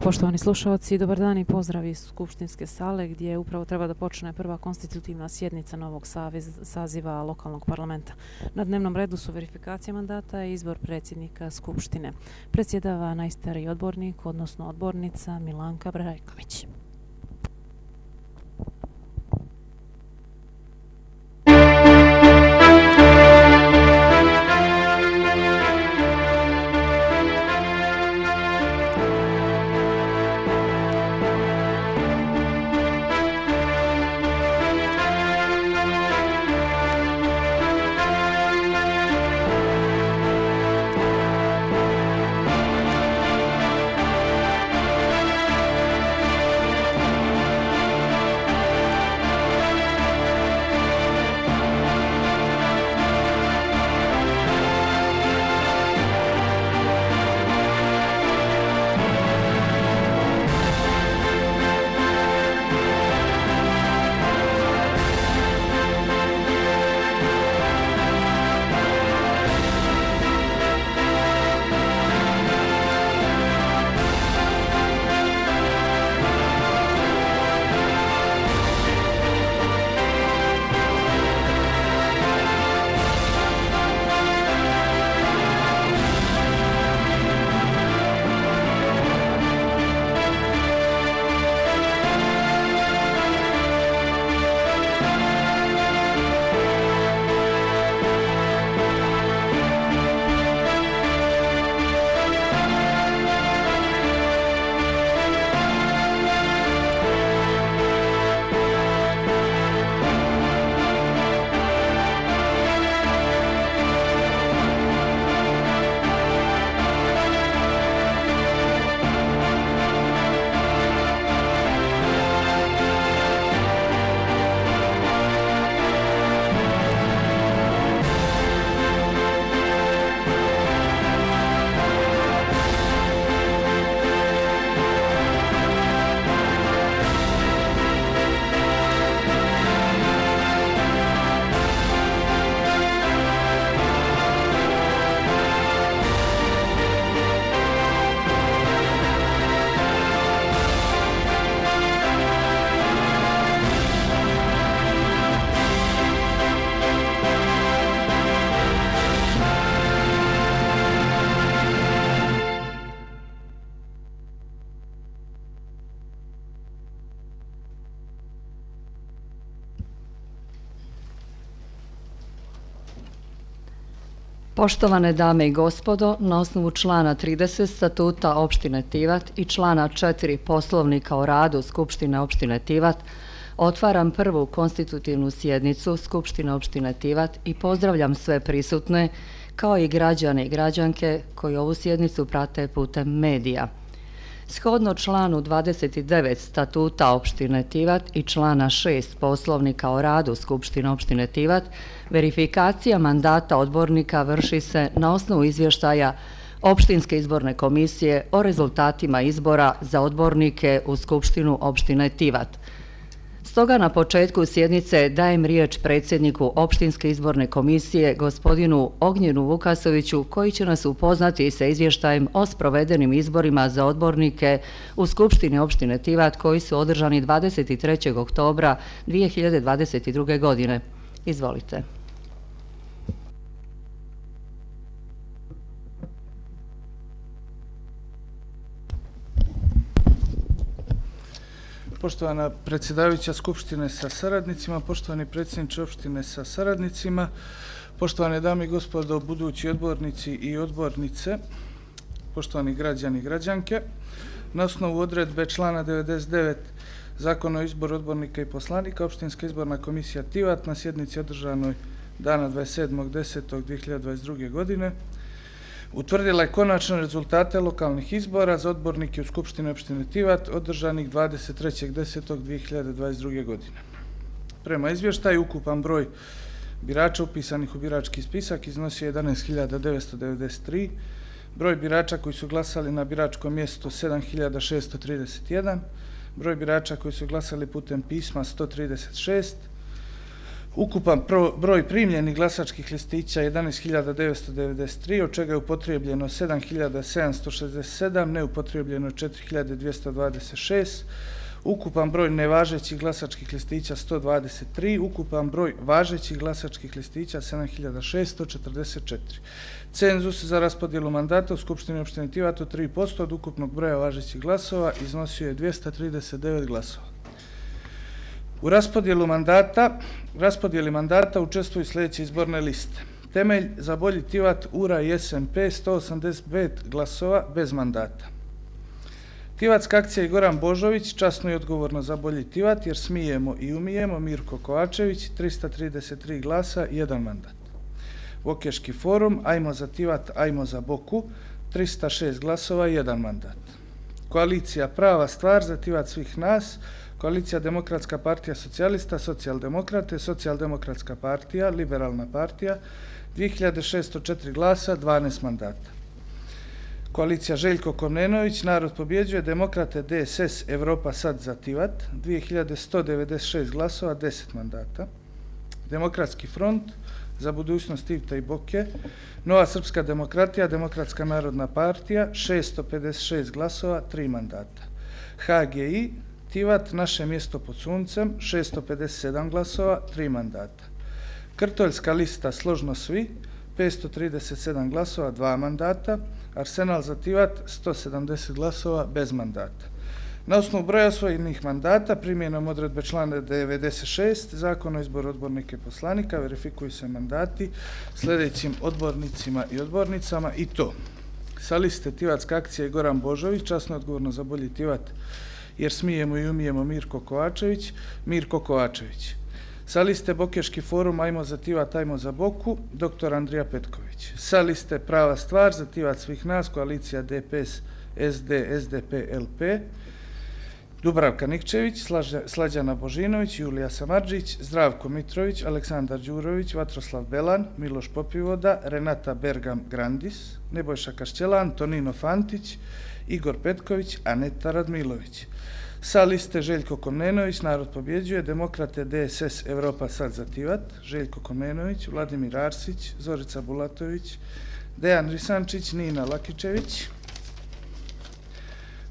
Poštovani slušalci, dobar dan i pozdrav iz Skupštinske sale gdje upravo treba da počne prva konstitutivna sjednica novog saziva lokalnog parlamenta. Na dnevnom redu su verifikacija mandata i izbor predsjednika Skupštine. Predsjedava najstariji odbornik, odnosno odbornica Milanka Brajković. Poštovane dame i gospodo, na osnovu člana 30 statuta opštine Tivat i člana 4 poslovnika o radu Skupštine opštine Tivat, otvaram prvu konstitutivnu sjednicu Skupštine opštine Tivat i pozdravljam sve prisutne, kao i građane i građanke koji ovu sjednicu prate putem medija. Shodno članu 29 statuta opštine Tivat i člana 6 poslovnika o radu Skupštine opštine Tivat, verifikacija mandata odbornika vrši se na osnovu izvještaja Opštinske izborne komisije o rezultatima izbora za odbornike u Skupštinu opštine Tivat. Stoga na početku sjednice dajem riječ predsjedniku Opštinske izborne komisije, gospodinu Ognjenu Vukasoviću, koji će nas upoznati sa izvještajem o sprovedenim izborima za odbornike u Skupštini opštine Tivat koji su održani 23. oktobra 2022. godine. Izvolite. Poštovana predsjedavajuća Skupštine sa saradnicima, poštovani predsjedniče opštine sa saradnicima, poštovane dame i gospodo budući odbornici i odbornice, poštovani građani i građanke, na osnovu odredbe člana 99 Zakona o izboru odbornika i poslanika, Opštinska izborna komisija Tivat na sjednici održanoj dana 27.10.2022. godine utvrdila je konačne rezultate lokalnih izbora za odbornike u Skupštini opštine Tivat održanih 23.10.2022. godine. Prema izvještaju, ukupan broj birača upisanih u birački spisak iznosio 11.993, broj birača koji su glasali na biračkom mjestu 7.631, broj birača koji su glasali putem pisma 136, Ukupan broj primljenih glasačkih listića 11.993, od čega je upotrijebljeno 7.767, neupotrijebljeno 4.226, ukupan broj nevažećih glasačkih listića 123, ukupan broj važećih glasačkih listića 7.644. Cenzus za raspodjelu mandata u Skupštini opštine Tivat od 3% od ukupnog broja važećih glasova iznosio je 239 glasova. U raspodjeli mandata učestvuju sljedeće izborne liste. Temelj za Bolji Tivat, URA i SMP 185 glasova bez mandata. Tivatska akcija i Goran Božović, časno i odgovorno za Bolji Tivat, jer smijemo i umijemo, Mirko Kovačević, 333 glasa, 1 mandat. Bokeški forum, Ajmo za Tivat, Ajmo za Boku, 306 glasova, 1 mandat. Koalicija Prava stvar za Tivat svih nas, Koalicija Demokratska partija socijalista, Socijaldemokrate, Socijaldemokratska partija, Liberalna partija, 2604 glasa, 12 mandata. Koalicija Željko Komnenović, Narod pobjeđuje, Demokrate, DSS, Evropa sad za Tivat, 2196 glasova, 10 mandata. Demokratski front, Za budućnost Tivta i Boke, Nova srpska demokratija, Demokratska narodna partija, 656 glasova, 3 mandata. HGI, Tivat, Naše mjesto pod suncem, 657 glasova, 3 mandata. Krtoljska lista Složno svi, 537 glasova, 2 mandata. Arsenal za Tivat, 170 glasova, bez mandata. Na osnovu broja osvojenih mandata, primjenom odredbe člana 96 Zakona o izboru odbornika i poslanika, verifikuju se mandati sljedećim odbornicima i odbornicama, i to: sa liste Tivatska akcija i Goran Božović, časno odgovorno za Bolji Tivat, jer smijemo i umijemo, Mirko Kovačević, Mirko Kovačević. Sa liste Bokeški forum, Ajmo za Tivat, Ajmo za Boku, dr. Andrija Petković. Sa liste Prava stvar za Tivat svih nas, koalicija DPS, SD, SDP, LP, Dubravka Nikčević, Slađana Božinović, Julija Samardžić, Zdravko Mitrović, Aleksandar Đurović, Vatroslav Belan, Miloš Popivoda, Renata Bergam Grandis, Nebojša Kašćelan, Tonino Fantić, Igor Petković, Aneta Radmilović. Sa liste Željko Komnenović, Narod pobjeđuje, Demokrate, DSS, Evropa sad za Tivat, Željko Komnenović, Vladimir Arsić, Zorica Bulatović, Dejan Risančić, Nina Lakičević,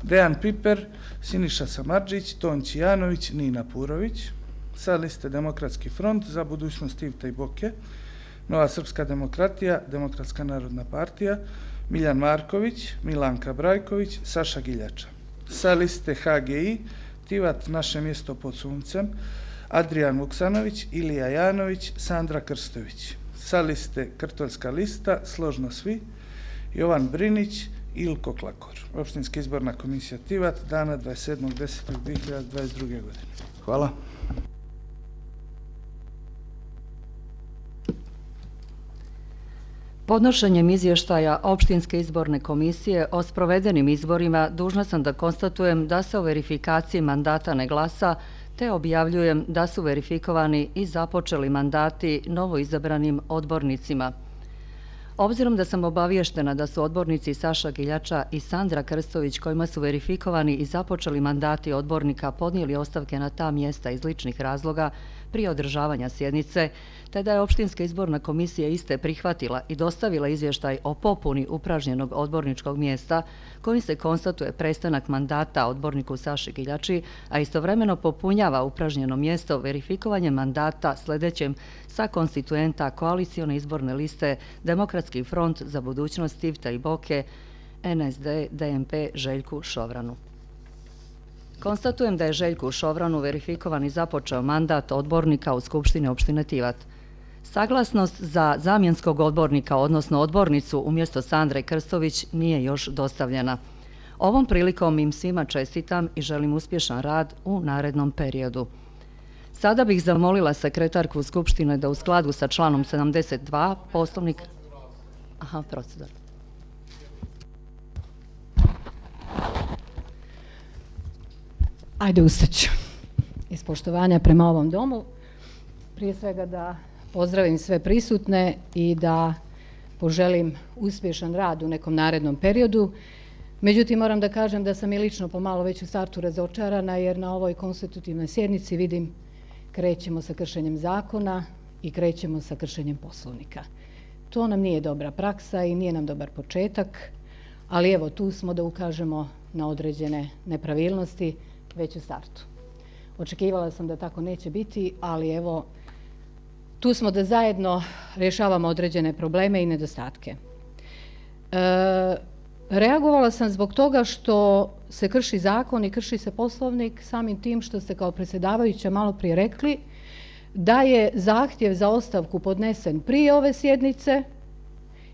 Dejan Piper, Siniša Samardžić, Tonči Janović, Nina Purović. Sa liste Demokratski front, Za budućnost Tivta i Boke, Nova srpska demokratija, Demokratska narodna partija, Miljan Marković, Milanka Brajković, Saša Giljača. Sa liste HGI, Tivat, Naše mjesto pod suncem, Adrijan Vuksanović, Ilija Janović, Sandra Krstović. Sa liste Krtoljska lista, Složno svi, Jovan Brinić, Ilko Klakor. Opštinska izborna komisija Tivat, dana 27.10.2022. godine. Hvala. Podnošenjem izvještaja Opštinske izborne komisije o sprovedenim izborima dužna sam da konstatujem da se o verifikaciji mandata ne glasa, te objavljujem da su verifikovani i započeli mandati novoizabranim odbornicima. Obzirom da sam obavještena da su odbornici Saša Giljača i Sandra Krstović, kojima su verifikovani i započeli mandati odbornika, podnijeli ostavke na ta mjesta iz ličnih razloga prije održavanja sjednice, te da je Opštinska izborna komisija iste prihvatila i dostavila izvještaj o popuni upražnjenog odborničkog mjesta, kojim se konstatuje prestanak mandata odborniku Saši Giljači, a istovremeno popunjava upražnjeno mjesto verifikovanjem mandata sljedećem sa konstituenta koalicione izborne liste Demokratski front za budućnost Tivta i Boke, NSD, DMP, Željku Šovranu. Konstatujem da je Željku Šovranu verifikovan i započeo mandat odbornika u Skupštini opštine Tivat. Saglasnost za zamjenskog odbornika, odnosno odbornicu umjesto Sandre Krstović, nije još dostavljena. Ovom prilikom im svima čestitam i želim uspješan rad u narednom periodu. Sada bih zamolila sekretarku Skupštine da u skladu sa članom 72 Poslovnik... procedura. Ajde, ustaću. Iz poštovanja prema ovom domu, prije svega da pozdravim sve prisutne i da poželim uspješan rad u nekom narednom periodu. Međutim, moram da kažem da sam i lično pomalo već u startu razočarana, jer na ovoj konstitutivnoj sjednici vidim krećemo sa kršenjem zakona i krećemo sa kršenjem Poslovnika. To nam nije dobra praksa i nije nam dobar početak, ali evo tu smo da ukažemo na određene nepravilnosti već u startu. Očekivala sam da tako neće biti, ali evo tu smo da zajedno rješavamo određene probleme i nedostatke. Reagovala sam zbog toga što se krši zakon i krši se Poslovnik samim tim što ste kao predsjedavajuća malo prije rekli da je zahtjev za ostavku podnesen prije ove sjednice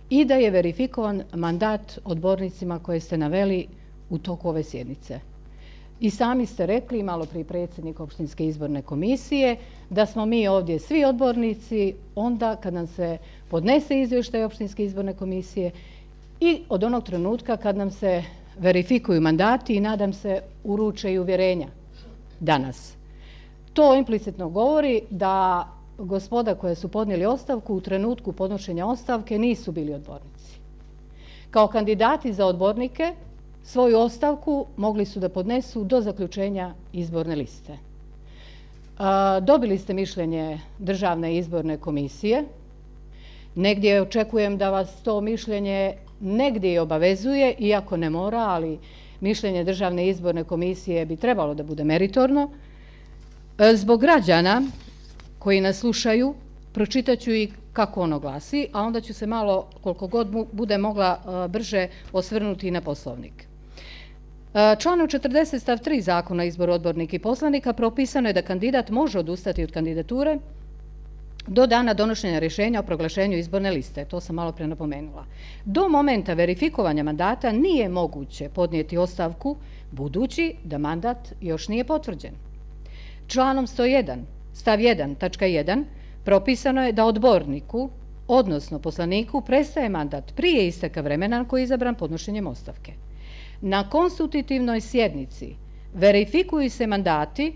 i da je verifikovan mandat odbornicima koje ste naveli u toku ove sjednice. I sami ste rekli, malo prije predsjednik Opštinske izborne komisije, da smo mi ovdje svi odbornici onda kad nam se podnese izvještaj Opštinske izborne komisije i od onog trenutka kad nam se verifikuju mandati i nadam se uruče i uvjerenja danas. To implicitno govori da gospoda koja su podnijeli ostavku u trenutku podnošenja ostavke nisu bili odbornici. Kao kandidati za odbornike svoju ostavku mogli su da podnesu do zaključenja izborne liste. Dobili ste mišljenje Državne izborne komisije. Negdje očekujem da vas to mišljenje negdje i obavezuje, iako ne mora, ali mišljenje Državne izborne komisije bi trebalo da bude meritorno. Zbog građana koji nas slušaju, pročitaću i kako ono glasi, a onda ću se malo, koliko god bude mogla, brže osvrnuti na Poslovnik. Članom 40 stav 3 Zakona o izboru odbornika i poslanika propisano je da kandidat može odustati od kandidature do dana donošenja rješenja o proglašenju izborne liste. To sam malo pre napomenula. Do momenta verifikovanja mandata nije moguće podnijeti ostavku budući da mandat još nije potvrđen. Članom 101 stav 1 tačka 1 propisano je da odborniku, odnosno poslaniku, prestaje mandat prije isteka vremena koji je izabran podnošenjem ostavke. Na konstitutivnoj sjednici verifikuju se mandati,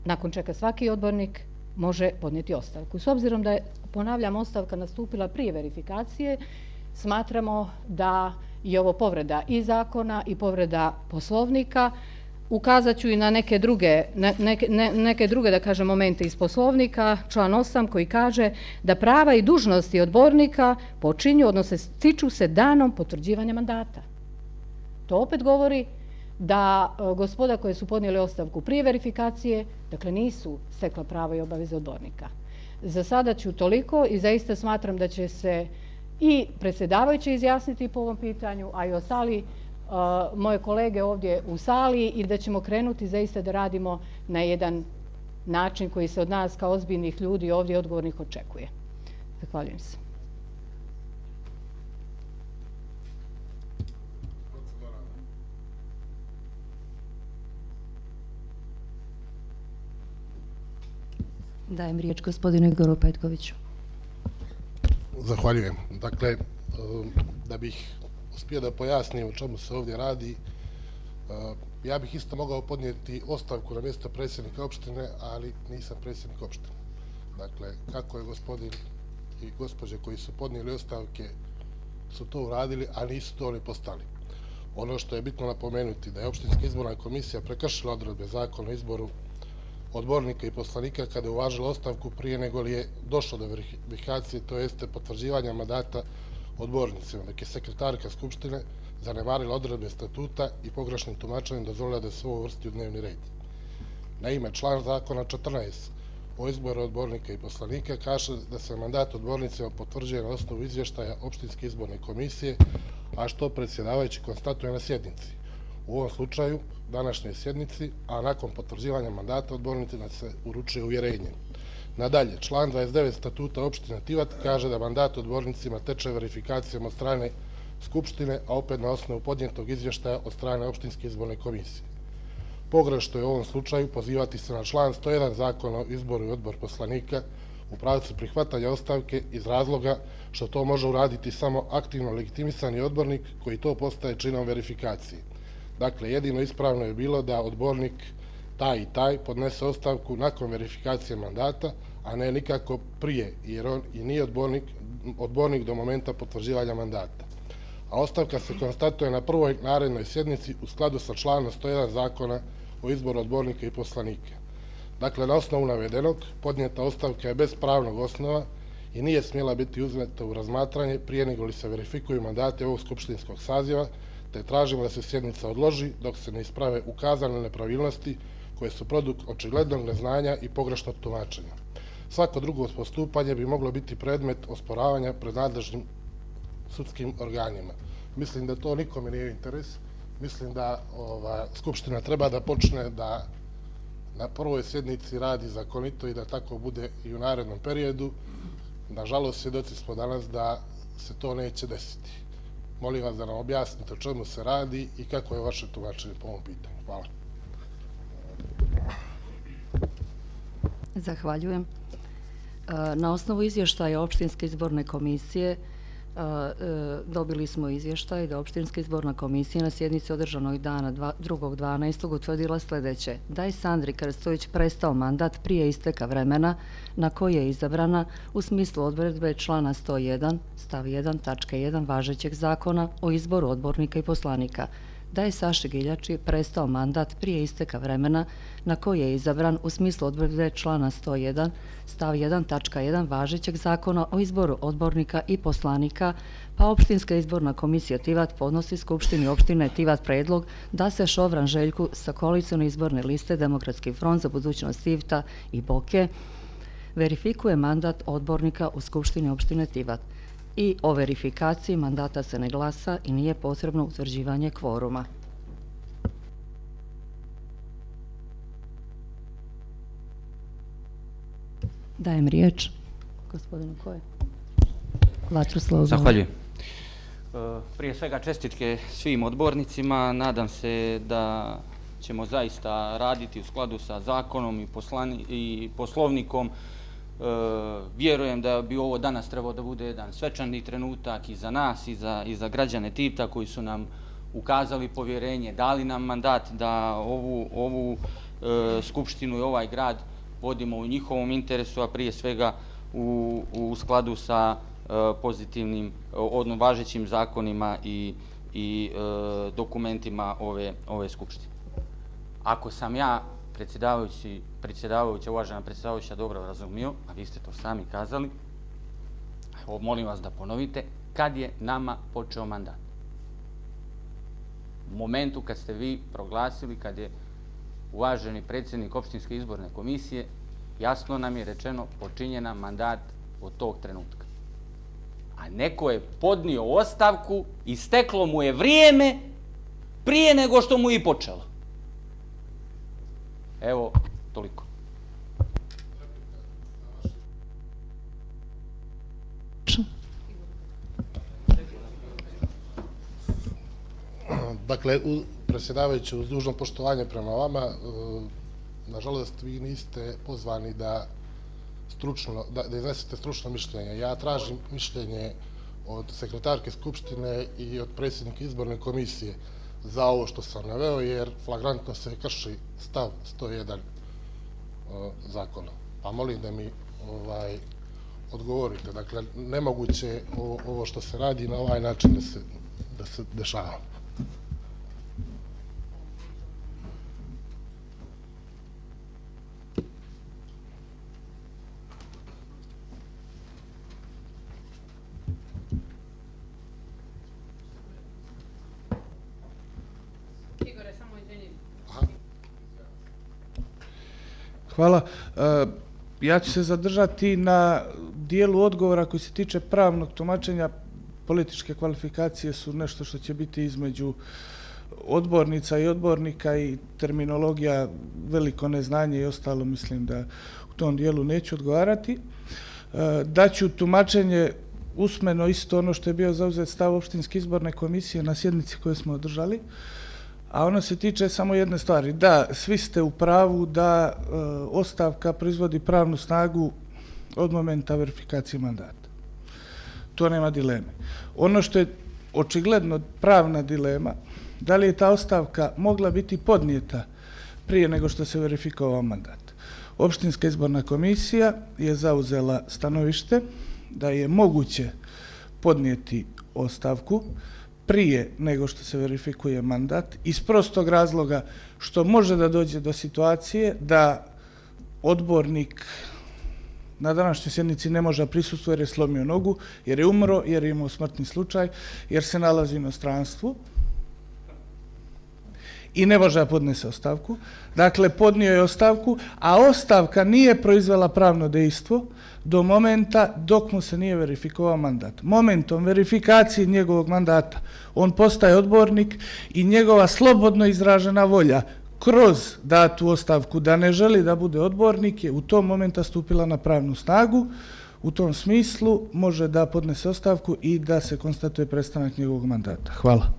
nakon čega svaki odbornik može podnijeti ostavku. S obzirom da je, ponavljam, ostavka nastupila prije verifikacije, smatramo da je ovo povreda i zakona i povreda Poslovnika. Ukazat ću i na neke druge, da kažem, momente iz Poslovnika, član 8 koji kaže da prava i dužnosti odbornika počinju, odnosno stiču se danom potvrđivanja mandata. To opet govori da gospoda koje su podnijeli ostavku prije verifikacije, dakle nisu stekla prava i obaveze odbornika. Za sada ću toliko i zaista smatram da će se i predsjedavajući izjasniti po ovom pitanju, a i ostali moje kolege ovdje u sali i da ćemo krenuti zaista da radimo na jedan način koji se od nas kao ozbiljnih ljudi ovdje odgovornih očekuje. Zahvaljujem se. Dajem riječ gospodinu Igoru Petkoviću. Zahvaljujem. Dakle, da bih uspio da pojasnim o čemu se ovdje radi, ja bih isto mogao podnijeti ostavku na mjesto predsjednika opštine, ali nisam predsjednik opštine. Dakle, kako je gospodin i gospođe koji su podnijeli ostavke su to uradili, a nisu to ni postali. Ono što je bitno napomenuti da je Opštinska izborna komisija prekršila odredbe Zakona o izboru odbornika i poslanika kada je uvažila ostavku prije nego li je došlo do verifikacije, to jeste potvrđivanja mandata odbornicima, dok je sekretarka Skupštine zanemarila odredbe statuta i pogrešnim tumačenjem dozvolila da se ovo uvrsti u dnevni red. Naime, član zakona 14 o izboru odbornika i poslanika kaže da se mandat odbornicima potvrđuje na osnovu izvještaja Opštinske izborne komisije, a što predsjedavajući konstatuje na sjednici. U ovom slučaju, današnjoj sjednici, a nakon potvrđivanja mandata odbornicima se uručuje uvjerenje. Nadalje, član 29 statuta opštine Tivat kaže da mandat odbornicima teče verifikacijom od strane Skupštine, a opet na osnovu podnijetog izvještaja od strane Opštinske izborne komisije. Pogrešno je u ovom slučaju pozivati se na član 101 Zakona o izboru i odbor poslanika u pravcu prihvatanja ostavke iz razloga što to može uraditi samo aktivno legitimisani odbornik koji to postaje činom verifikacije. Dakle, jedino ispravno je bilo da odbornik taj i taj podnese ostavku nakon verifikacije mandata, a ne nikako prije, jer on i nije odbornik do momenta potvrđivanja mandata. A ostavka se konstatuje na prvoj narednoj sjednici u skladu sa članom 101 Zakona o izboru odbornika i poslanika. Dakle, na osnovu navedenog, podnijeta ostavka je bez pravnog osnova i nije smjela biti uzmeta u razmatranje prije nego li se verifikuju mandati ovog skupštinskog saziva, te tražimo da se sjednica odloži dok se ne isprave ukazane nepravilnosti koje su produkt očiglednog neznanja i pogrešnog tumačenja. Svako drugo postupanje bi moglo biti predmet osporavanja pred nadležnim sudskim organima. Mislim da to nikome nije interes. Mislim da Skupština treba da počne da na prvoj sjednici radi zakonito i da tako bude i u narednom periodu. Nažalost, svjedoci smo danas da se to neće desiti. Molim vas da nam objasnite o čemu se radi i kako je vaše tumačenje po ovom pitanju. Hvala. Zahvaljujem. Na osnovu izvještaja Opštinske izborne komisije dobili smo izvještaj da Opštinska izborna komisija na sjednici održanoj dana 2.12. utvrdila sljedeće: da je Sandri Krstović prestao mandat prije isteka vremena na koje je izabrana u smislu odredbe člana 101 stav 1 tačke 1 važećeg zakona o izboru odbornika i poslanika, da je Saši Giljači prestao mandat prije isteka vremena na koje je izabran u smislu odredbe člana 101 stav 1 tačka 1 važećeg zakona o izboru odbornika i poslanika, pa Opštinska izborna komisija Tivat podnosi Skupštini opštine Tivat predlog da se Šovran Željku sa koalicione izborne liste Demokratski front za budućnost Tivta i Boke verifikuje mandat odbornika u Skupštini opštine Tivat. I o verifikaciji mandata se ne glasa i nije potrebno utvrđivanje kvoruma. Dajem riječ gospodinu Koje. Vatroslav. Zahvaljujem. Prije svega čestitke svim odbornicima. Nadam se da ćemo zaista raditi u skladu sa zakonom i poslovnikom. Vjerujem da bi ovo danas trebao da bude jedan svečani trenutak i za nas i za građane Tivta koji su nam ukazali povjerenje, dali nam mandat da ovu skupštinu i ovaj grad vodimo u njihovom interesu, a prije svega u skladu sa pozitivnim, važećim zakonima i dokumentima ove skupštine. Ako sam ja predsjedavajuća, uvažena predsjedavajuća, dobro razumio, a vi ste to sami kazali, molim vas da ponovite, kad je nama počeo mandat? U momentu kad ste vi proglasili, kad je uvaženi predsjednik Opštinske izborne komisije, jasno nam je rečeno počinje nam mandat od tog trenutka. A neko je podnio ostavku i steklo mu je vrijeme prije nego što mu je i počelo. Evo, toliko. Dakle, predsjedavajući, uz dužno poštovanje prema vama, nažalost, vi niste pozvani da iznesete stručno mišljenje. Ja tražim mišljenje od sekretarke Skupštine i od predsjednika izborne komisije za ovo što sam naveo, jer flagrantno se krši stav 101 zakona. Pa molim da mi odgovorite. Dakle, nemoguće je ovo što se radi na ovaj način da se dešava. Hvala. Ja ću se zadržati na dijelu odgovora koji se tiče pravnog tumačenja. Političke kvalifikacije su nešto što će biti između odbornica i odbornika i terminologija, veliko neznanje i ostalo, mislim da u tom dijelu neću odgovarati. Daću tumačenje usmeno isto ono što je bio zauzet stav Opštinske izborne komisije na sjednici koju smo održali, a ono se tiče samo jedne stvari. Da, svi ste u pravu da ostavka proizvodi pravnu snagu od momenta verifikacije mandata. To nema dileme. Ono što je očigledno pravna dilema, da li je ta ostavka mogla biti podnijeta prije nego što se verifikovao mandat. Opštinska izborna komisija je zauzela stanovište da je moguće podnijeti ostavku prije nego što se verifikuje mandat, iz prostog razloga što može da dođe do situacije da odbornik na današnjoj sjednici ne može prisustvovati jer je slomio nogu, jer je umro, jer je imao smrtni slučaj, jer se nalazi u inostranstvu i ne može da podnese ostavku. Dakle, podnio je ostavku, a ostavka nije proizvela pravno dejstvo do momenta dok mu se nije verifikovao mandat. Momentom verifikacije njegovog mandata on postaje odbornik i njegova slobodno izražena volja kroz datu ostavku da ne želi da bude odbornik je u tom momenta stupila na pravnu snagu. U tom smislu može da podnese ostavku i da se konstatuje prestanak njegovog mandata. Hvala.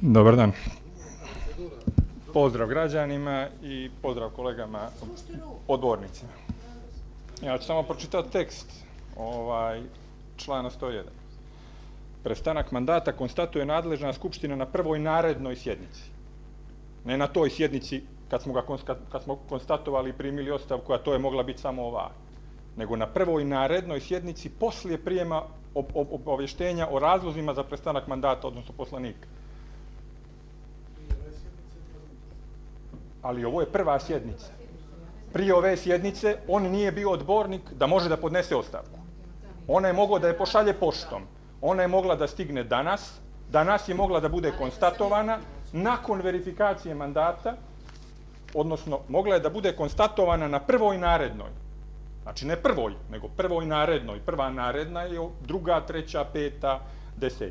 Dobar dan. Pozdrav građanima i pozdrav kolegama odbornicima. Ja ću samo pročitati tekst člana 101. Prestanak mandata konstatuje nadležna skupština na prvoj narednoj sjednici. Ne na toj sjednici kad smo konstatovali i primili ostavku, a to je mogla biti samo ova, nego na prvoj narednoj sjednici poslije prijema obavještenja o razlozima za prestanak mandata, odnosno poslanika. Ali ovo je prva sjednica. Prije ove sjednice on nije bio odbornik da može da podnese ostavku. Ona je mogla da je pošalje poštom. Ona je mogla da stigne danas je mogla da bude konstatovana nakon verifikacije mandata, odnosno mogla je da bude konstatovana na prvoj narednoj. Znači ne prvoj, nego prvoj narednoj. Prva naredna je druga, treća, peta, 10.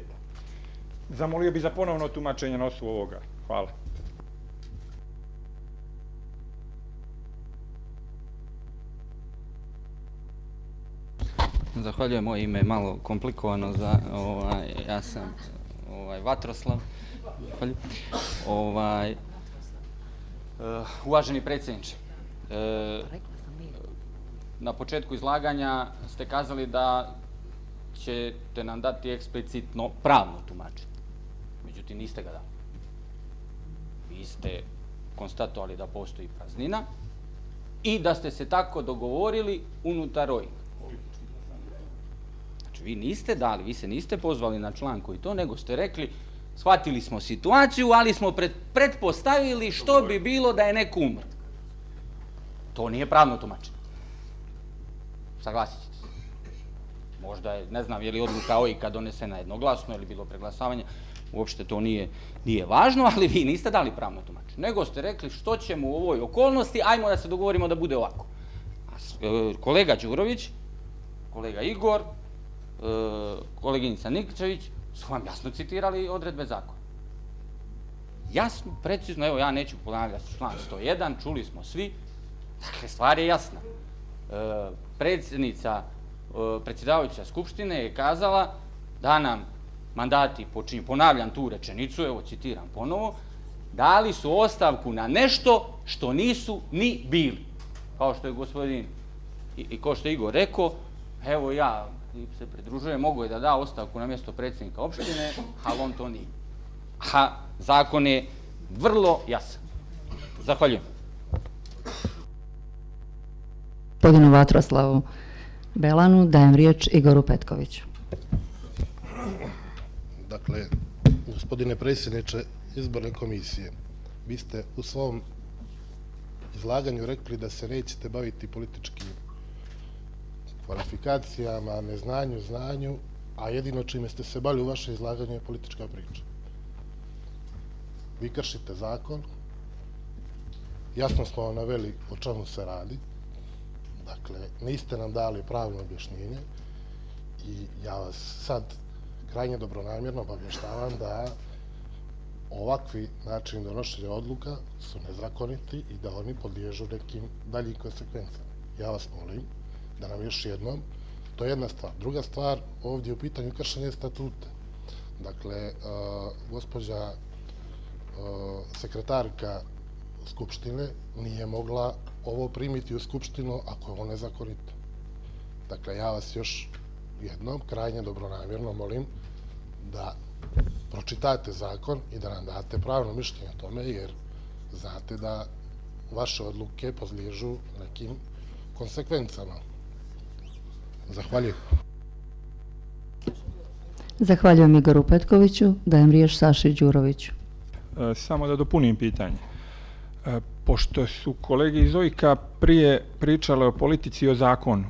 Zamolio bi za ponovno tumačenje na osnovu ovoga. Hvala. Zahvaljujem, moje ime je malo komplikovano, ja sam Vatroslav. Uvaženi predsjedniče, na početku izlaganja ste kazali da ćete nam dati eksplicitno pravno tumačenje. Međutim, niste ga dali. Vi ste konstatovali da postoji praznina i da ste se tako dogovorili unutar OIG. Znači, vi niste dali, vi se niste pozvali na član koji to, nego ste rekli, shvatili smo situaciju, ali smo pretpostavili što bi bilo da je neko umro. To nije pravno tumačenje. Saglasit ćete se. Možda je, ne znam, je li odluka OIG-a donesena jednoglasno ili bilo preglasavanje, uopšte to nije važno, ali vi niste dali pravno tumačenje. Nego ste rekli što ćemo u ovoj okolnosti, ajmo da se dogovorimo da bude ovako. Kolega Đurović, kolega Igor, koleginica Nikčević su vam jasno citirali odredbe zakona. Jasno, precizno, evo ja neću ponavljati član 101, čuli smo svi, dakle stvar je jasna. Predsjedavajuća Skupštine je kazala da nam mandati počinju, ponavljam tu rečenicu, evo citiram ponovo, dali su ostavku na nešto što nisu ni bili. Kao što je gospodin i kao što je Igor rekao, evo ja se pridružujem, mogu je da da ostavku na mjesto predsjednika opštine, ali on to nije. A zakon je vrlo jasan. Zahvaljujem. Gospodinu Vatroslavu Belanu dajem riječ Igoru Petkoviću. Dakle, gospodine predsjedniče izborne komisije, vi ste u svom izlaganju rekli da se nećete baviti političkim kvalifikacijama, neznanju, znanju, a jedino čime ste se bavili u vaše izlaganju je politička priča. Vi kršite zakon, jasno smo vam naveli o čemu se radi, dakle, niste nam dali pravno objašnjenje i ja vas sad krajnje dobronamjerno obavještavam da ovakvi načini donošenja odluka su nezakoniti i da oni podliježu nekim daljim konsekvencama. Ja vas molim da nam još jednom, to je jedna stvar. Druga stvar, ovdje je u pitanju kršenje statuta. Dakle, gospođa sekretarka Skupštine nije mogla ovo primiti u Skupštinu ako je ovo nezakonito. Dakle, ja vas još jednom krajnje dobronamjerno molim da pročitate zakon i da nam date pravno mišljenje o tome, jer znate da vaše odluke podliježu nekim konsekvencama. Zahvaljujem. Zahvaljujem Igoru Petkoviću, dajem riječ Saši Đuroviću. Samo da dopunim pitanje. Pošto su kolege iz OIK-a prije pričale o politici i o zakonu,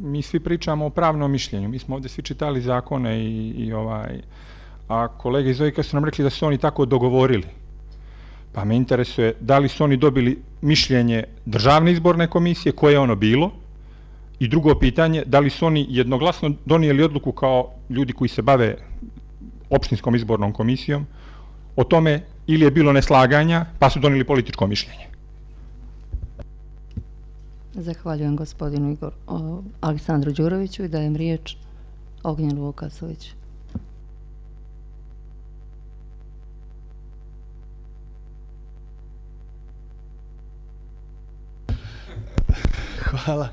mi svi pričamo o pravnom mišljenju. Mi smo ovdje svi čitali zakone a kolege iz OIK-a su nam rekli da su oni tako dogovorili. Pa me interesuje da li su oni dobili mišljenje Državne izborne komisije, koje je ono bilo, i drugo pitanje, da li su oni jednoglasno donijeli odluku kao ljudi koji se bave opštinskom izbornom komisijom o tome, ili je bilo neslaganja pa su donijeli političko mišljenje. Zahvaljujem gospodinu Aleksandru Đuroviću i dajem riječ Ognjenu Vukasoviću. Hvala.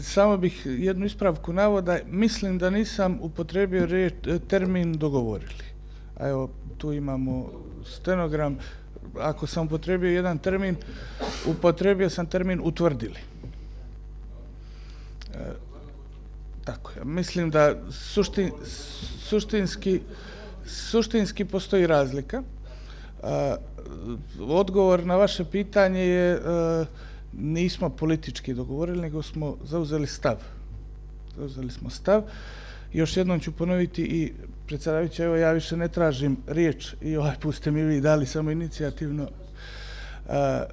Samo bih jednu ispravku navoda. Mislim da nisam upotrebio termin dogovorili. A evo, tu imamo stenogram. Ako sam upotrebio jedan termin, upotrebio sam termin utvrdili. Tako je. Mislim da suštinski postoji razlika. Odgovor na vaše pitanje je nismo politički dogovorili, nego smo zauzeli stav. Zauzeli smo stav. Još jednom ću ponoviti i predsjedavajući, evo ja više ne tražim riječ i ovaj put ste mi vi dali samo inicijativno.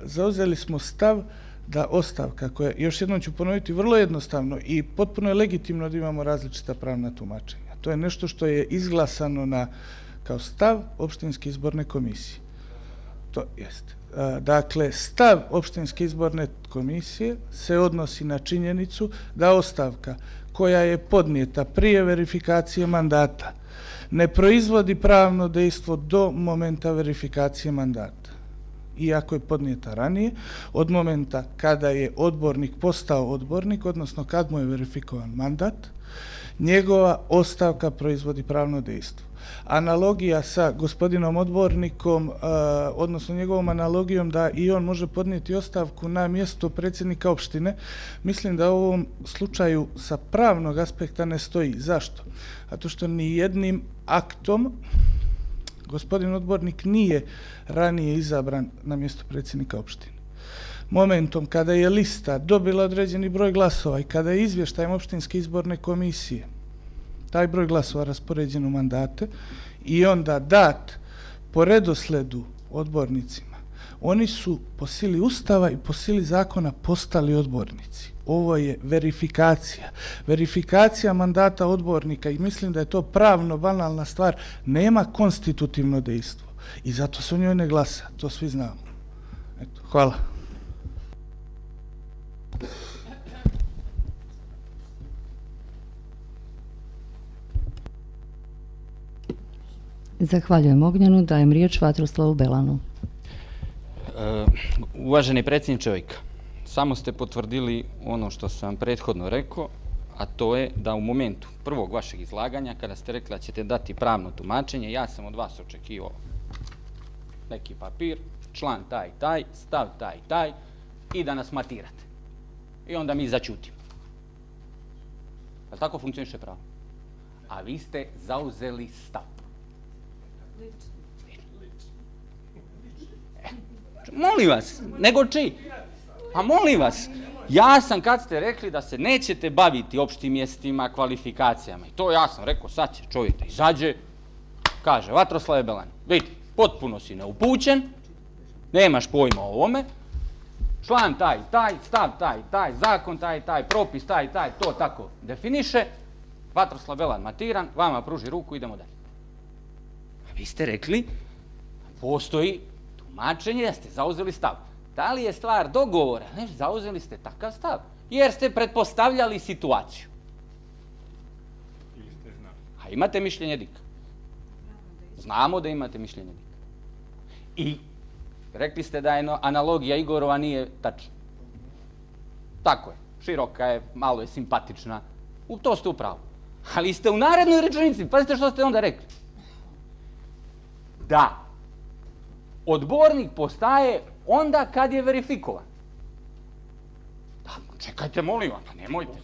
Zauzeli smo stav da ostavka koja, još jednom ću ponoviti, vrlo jednostavno i potpuno je legitimno da imamo različita pravna tumačenja. To je nešto što je izglasano kao stav opštinske izborne komisije. To jeste. Dakle, stav opštinske izborne komisije se odnosi na činjenicu da ostavka koja je podnijeta prije verifikacije mandata ne proizvodi pravno dejstvo do momenta verifikacije mandata. Iako je podnijeta ranije, od momenta kada je odbornik postao odbornik, odnosno kad mu je verifikovan mandat, njegova ostavka proizvodi pravno dejstvo. Analogija sa gospodinom odbornikom, odnosno njegovom analogijom da i on može podnijeti ostavku na mjesto predsjednika opštine, mislim da u ovom slučaju sa pravnog aspekta ne stoji. Zašto? Zato što ni jednim aktom gospodin odbornik nije ranije izabran na mjesto predsjednika opštine. Momentom kada je lista dobila određeni broj glasova i kada je izvještajem opštinske izborne komisije taj broj glasova raspoređen u mandate i onda dat po redosledu odbornicima, oni su po sili Ustava i po sili zakona postali odbornici. Ovo je verifikacija. Verifikacija mandata odbornika i mislim da je to pravno banalna stvar, nema konstitutivno dejstvo i zato se o njoj ne glasa, to svi znamo. Eto, hvala. Zahvaljujem Ognjenu, dajem riječ Vatroslavu Belanu. Uvaženi predsjedniče OIK-a, samo ste potvrdili ono što sam prethodno rekao, a to je da u momentu prvog vašeg izlaganja, kada ste rekli da ćete dati pravno tumačenje, ja sam od vas očekivao neki papir, član taj, taj, stav taj, taj i da nas matirate. I onda mi začutimo. Ali tako funkcioniše pravo. A vi ste zauzeli stav. Molim vas, nego čiji? Pa molim vas, ja sam kad ste rekli da se nećete baviti opštim mjestima, kvalifikacijama, i to ja sam rekao, sad će čovjek da izađe, kaže, Vatroslave Belan, vidi, potpuno si neupućen, nemaš pojma o ovome, član taj, stav taj, zakon taj, propis taj, to tako definiše, Vatroslav Belan matiran, vama pruži ruku, idemo dalje. A vi ste rekli, postoji tumačenje da ste zauzeli stav. Da li je stvar dogovora? Ne, zauzeli ste takav stav, jer ste pretpostavljali situaciju. A imate mišljenje DIK? Znamo da imate mišljenje DIK. I rekli ste da je analogija Igorova nije tačna. Tako je, široka je, malo je simpatična. To ste u pravu. Ali ste u narednoj rečenici, pazite što ste onda rekli. Da odbornik postaje onda kad je verifikovan. Da, čekajte, molim vas, pa nemojte.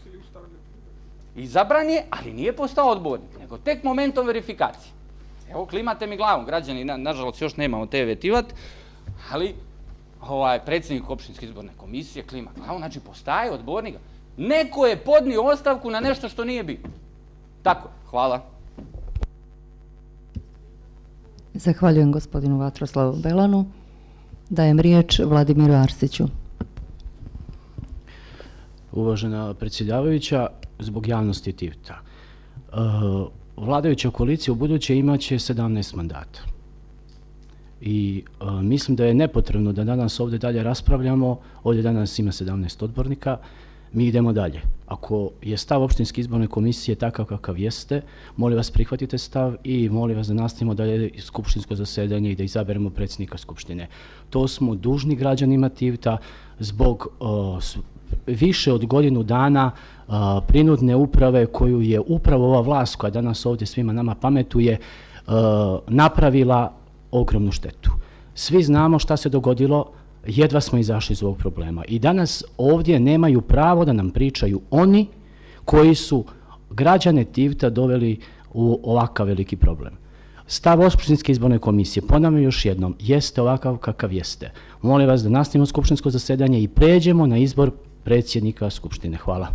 Izabran je, ali nije postao odbornik, nego tek momentom verifikacije. Evo, klimate mi glavom, građani, nažalost, još nemamo te vetivat, ali predsjednik opštinske izborne komisije klima glavom, znači postaje odbornik. Neko je podnio ostavku na nešto što nije bilo. Tako, hvala. Zahvaljujem gospodinu Vatroslavu Belanu. Dajem riječ Vladimiru Arsiću. Uvažena predsjedavajuća, zbog javnosti Tivta. Vladajuća koalicija u buduće imaće 17 mandata. I mislim da je nepotrebno da danas ovdje dalje raspravljamo. Ovdje danas ima 17 odbornika. Mi idemo dalje. Ako je stav opštinske izborne komisije takav kakav jeste, molim vas prihvatite stav i molim vas da nastavimo dalje skupštinsko zasedanje i da izaberemo predsjednika skupštine. To smo dužni građanima Tivta zbog više od godinu dana prinudne uprave koju je upravo ova vlast koja danas ovdje svima nama pametuje napravila ogromnu štetu. Svi znamo šta se dogodilo, jedva smo izašli iz ovog problema. I danas ovdje nemaju pravo da nam pričaju oni koji su građane Tivta doveli u ovakav veliki problem. Stav opštinske izborne komisije, ponavljam još jednom, jeste ovakav kakav jeste. Molim vas da nastavimo skupštinsko zasedanje i pređemo na izbor predsjednika skupštine. Hvala.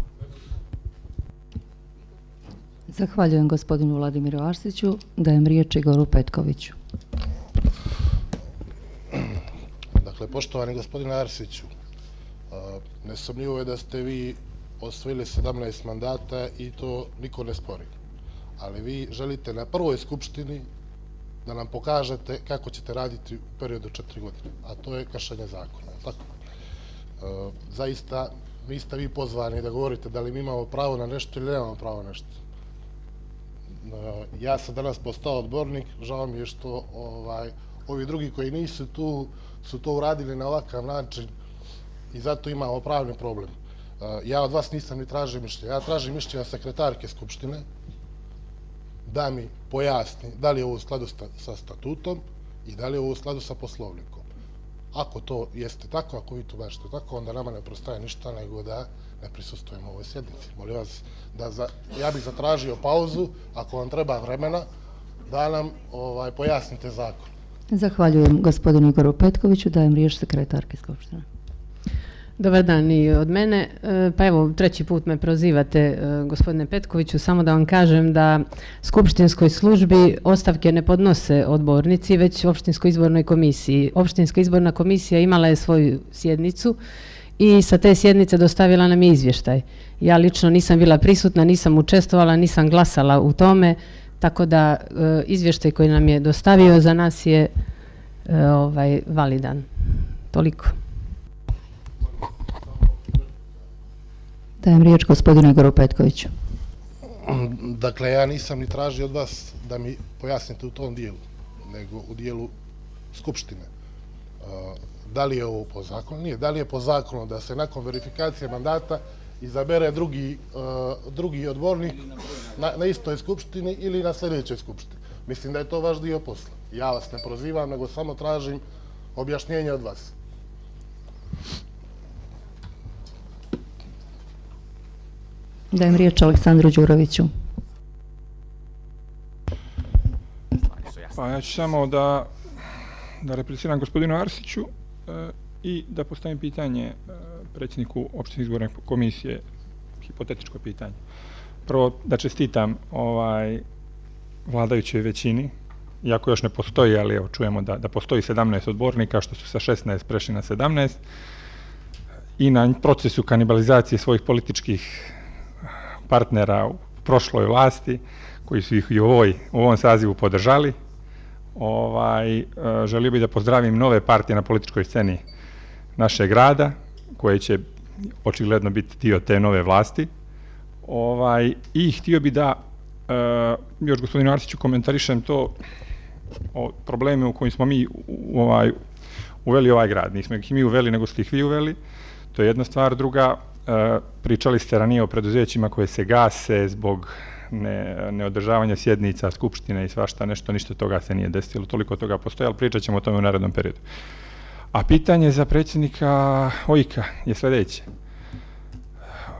Zahvaljujem gospodinu Vladimiru Arsiću. Dajem riječ Igoru Petkoviću. Dakle, poštovani gospodine Arsiću, nesumnjivo je da ste vi osvojili 17 mandata i to niko ne spori. Ali vi želite na prvoj skupštini da nam pokažete kako ćete raditi u periodu 4 godine, a to je kršenje zakona. Tako? Zaista niste vi pozvani da govorite da li mi imamo pravo na nešto ili nemamo pravo na nešto. Ja sam danas postao odbornik, žao mi je što ovi drugi koji nisu tu su to uradili na ovakav način i zato imamo pravni problem. Ja od vas nisam ni tražio mišljenje. Ja tražim mišljenje sekretarke Skupštine da mi pojasni da li je ovo u skladu sa statutom i da li je ovo u skladu sa poslovnikom. Ako to jeste tako, ako vi to bašte tako, onda nama ne prostaje ništa nego da ne prisustujemo ovoj sjednici. Molim vas, ja bih zatražio pauzu, ako vam treba vremena, da nam pojasnite zakon. Zahvaljujem gospodinu Igoru Petkoviću. Dajem riječ sekretarke Skupštine. Dobar dan i od mene. Pa evo, treći put me prozivate, gospodine Petkoviću, samo da vam kažem da skupštinskoj službi ostavke ne podnose odbornici, već opštinskoj izbornoj komisiji. Opštinska izborna komisija imala je svoju sjednicu i sa te sjednice dostavila nam izvještaj. Ja lično nisam bila prisutna, nisam učestvovala, nisam glasala u tome, tako da izvještaj koji nam je dostavio za nas je validan. Toliko. Dajem riječ gospodinu Igoru Petkoviću. Dakle, ja nisam ni tražio od vas da mi pojasnite u tom dijelu, nego u dijelu Skupštine. Da li je ovo po zakonu? Nije. Da li je po zakonu da se nakon verifikacije mandata izabere drugi odbornik na istoj skupštini ili na sljedećoj skupštini? Mislim da je to vaš dio posla. Ja vas ne prozivam, nego samo tražim objašnjenje od vas. Dajem riječ Aleksandru Đuroviću. Pa ja ću samo da repliciram gospodinu Arsiću i da postavim pitanje predsjedniku opštinske izborne komisije, hipotetičko pitanje. Prvo da čestitam vladajućoj većini, iako još ne postoji, ali evo čujemo da postoji 17 odbornika, što su sa 16 prešli na 17, i na procesu kanibalizacije svojih političkih partnera u prošloj vlasti, koji su ih i u ovom sazivu podržali. Želio bih da pozdravim nove partije na političkoj sceni našeg grada, koje će očigledno biti dio te nove vlasti. I htio bih da još gospodinu Arsiću komentarišem to o probleme u kojim smo mi uveli ovaj grad. Nismo ih mi uveli, nego ste ih vi uveli. To je jedna stvar. Druga, pričali ste ranije o preduzećima koje se gase zbog neodržavanja sjednica, skupštine i svašta nešto, ništa toga se nije desilo, toliko toga postoje, ali pričat ćemo o tome u narednom periodu. A pitanje za predsjednika OIK-a je sljedeće.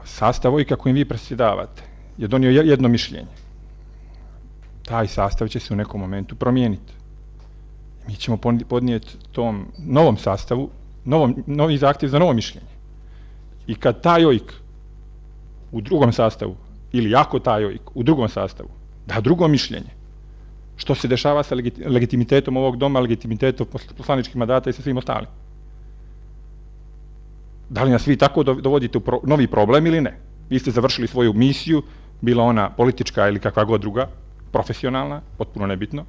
Sastav OIK-a kojim vi predsjedavate je donio jedno mišljenje. Taj sastav će se u nekom momentu promijeniti. Mi ćemo podnijeti tom novom sastavu novi zahtjev za novo mišljenje. I kad taj OIK u drugom sastavu, ili ako taj OIK u drugom sastavu da drugo mišljenje, što se dešava sa legitimitetom ovog doma, legitimitetom poslaničkih mandata i sa svim ostalim? Da li nas vi tako dovodite u novi problem ili ne? Vi ste završili svoju misiju, bila ona politička ili kakva god druga, profesionalna, potpuno nebitno,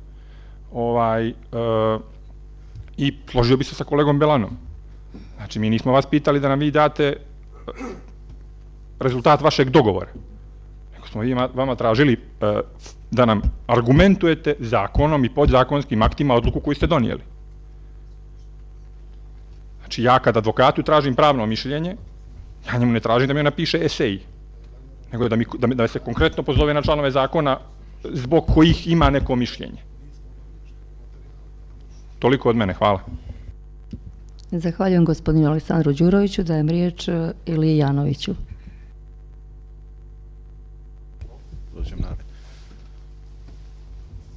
i složio bi se sa kolegom Belanom. Znači, mi nismo vas pitali da nam vi date rezultat vašeg dogovora, nego smo vama tražili da nam argumentujete zakonom i podzakonskim aktima odluku koju ste donijeli. Znači, ja kad advokatu tražim pravno mišljenje, ja njemu ne tražim da mi napiše esej, nego da se konkretno pozove na članove zakona zbog kojih ima neko mišljenje. Toliko od mene, hvala. Zahvaljujem gospodinu Aleksandru Đuroviću, dajem riječ Iliji Janoviću. Dođem naprijed.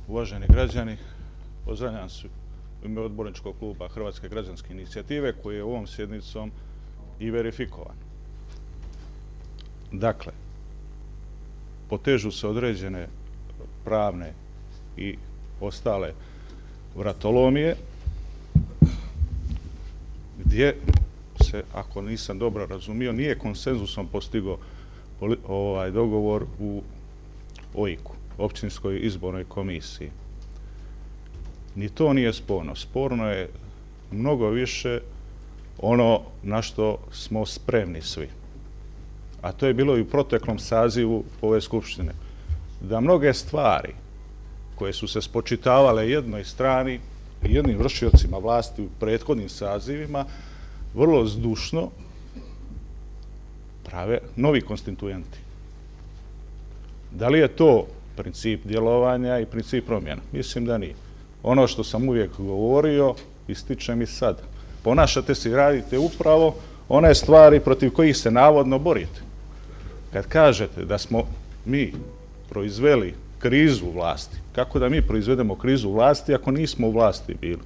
Uvaženi građani, pozdravljam se u ime odborničkog kluba Hrvatske građanske inicijative koji je ovom sjednicom i verifikovan. Dakle, potežu se određene pravne i ostale vratolomije gdje se, ako nisam dobro razumio, nije konsenzusom postigao dogovor u OIK-u, Općinskoj izbornoj komisiji. Ni to nije sporno. Sporno je mnogo više ono na što smo spremni svi. A to je bilo i u proteklom sazivu ove skupštine. Da mnoge stvari koje su se spočitavale jednoj strani i jednim vršiocima vlasti u prethodnim sazivima, vrlo zdušno prave novi konstituenti. Da li je to princip djelovanja i princip promjena? Mislim da nije. Ono što sam uvijek govorio, ističem i sad. Ponašate se i radite upravo one stvari protiv kojih se navodno borite. Kad kažete da smo mi proizveli krizu u vlasti, kako da mi proizvedemo krizu u vlasti ako nismo u vlasti bili?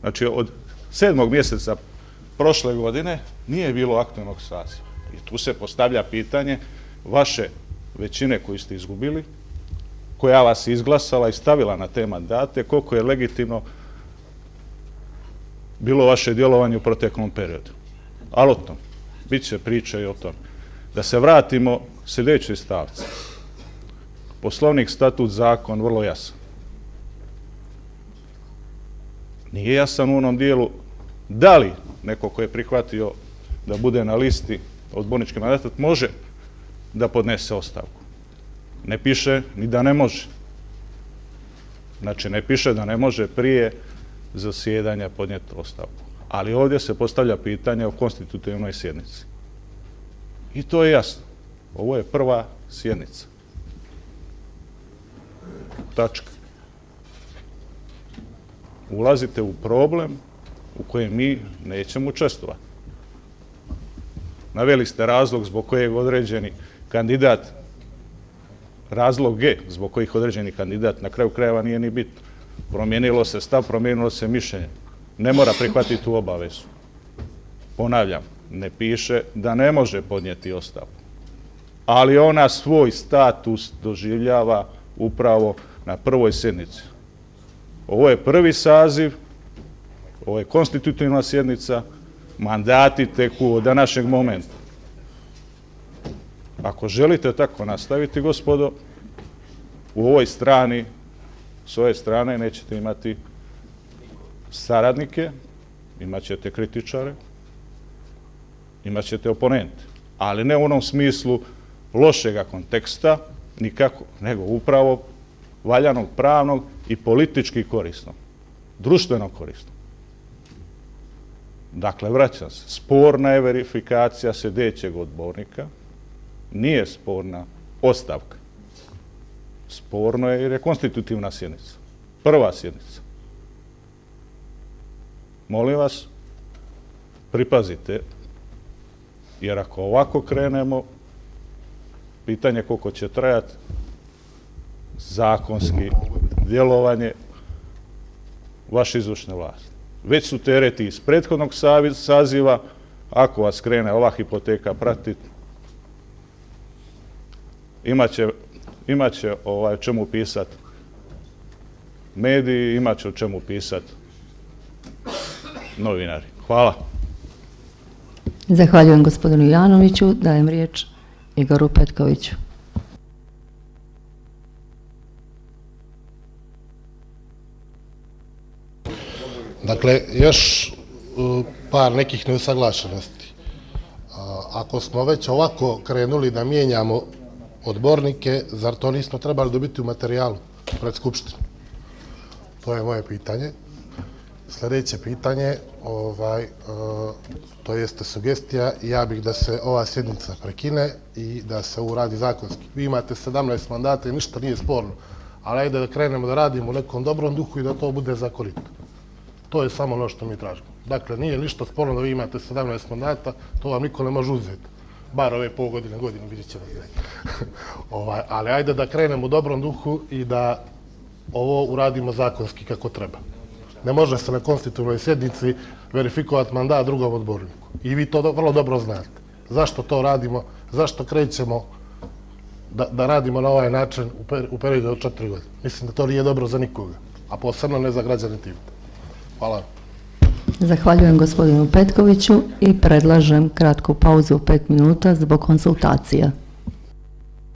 Znači, od 7. mjeseca prošle godine nije bilo aktualnog saziva. I tu se postavlja pitanje vaše većine koju ste izgubili, koja vas je izglasala i stavila na te mandate, koliko je legitimno bilo vaše djelovanje u proteklom periodu. Ali o tom, bit će priče i o tom. Da se vratimo sljedećoj stavci. Poslovnik, statut, zakon, vrlo jasan. Nije jasan u onom dijelu da li neko ko je prihvatio da bude na listi odbornički mandat može da podnese ostavku. Ne piše ni da ne može. Znači, ne piše da ne može prije zasjedanja podnijeti ostavku. Ali ovdje se postavlja pitanje o konstitutivnoj sjednici. I to je jasno. Ovo je prva sjednica. Tačka. Ulazite u problem u kojem mi nećemo učestvovati. Naveli ste razlog zbog kojeg određeni kandidat, razlog G zbog kojih određeni kandidat na kraju krajeva nije ni bitno. Promijenilo se stav, promijenilo se mišljenje. Ne mora prihvatiti tu obavezu. Ponavljam, ne piše da ne može podnijeti ostavku. Ali ona svoj status doživljava upravo na prvoj sjednici. Ovo je prvi saziv, ovo je konstitutivna sjednica, mandati teku od današnjeg momenta. Ako želite tako nastaviti, gospodo, u ovoj strani, s ove strane nećete imati saradnike, imat ćete kritičare, imat ćete oponente, ali ne u onom smislu lošega konteksta, nikako, nego upravo valjanog, pravnog i politički korisnog, društveno korisnog. Dakle, vraćam se, sporna je verifikacija sljedećeg odbornika, nije sporna ostavka. Sporno je jer je konstitutivna sjednica, prva sjednica. Molim vas, pripazite Jer ako ovako krenemo, pitanje koliko će trajati zakonski djelovanje vaše izvršne vlasti. Već su tereti iz prethodnog saziva, ako vas krene ova hipoteka pratiti, imaće o čemu pisati mediji, imaće o čemu pisati novinari. Hvala. Zahvaljujem gospodinu Janoviću. Dajem riječ Igoru Petkoviću. Dakle, još par nekih neusaglašenosti. Ako smo već ovako krenuli da mijenjamo odbornike, zar to nismo trebali dobiti u materijalu pred Skupštinu? To je moje pitanje. Sljedeće pitanje, to jeste sugestija, ja bih da se ova sjednica prekine i da se uradi zakonski. Vi imate 17 mandata i ništa nije sporno, ali ajde da krenemo da radimo u nekom dobrom duhu i da to bude zakonito. To je samo ono što mi tražimo. Dakle, nije ništa sporno da vi imate 17 mandata, to vam niko ne može uzeti. Bar ove pol godine, vidjet ćemo. Ali ajde da krenemo u dobrom duhu i da ovo uradimo zakonski kako treba. Ne može se na konstitutivnoj sjednici verifikovati mandat drugom odborniku. I vi to vrlo dobro znate. Zašto to radimo? Zašto krećemo da radimo na ovaj način u periodu od 4 godine? Mislim da to nije dobro za nikoga, a posebno ne za građane Tivata. Hvala. Zahvaljujem gospodinu Petkoviću i predlažem kratku pauzu 5 minuta zbog konsultacija.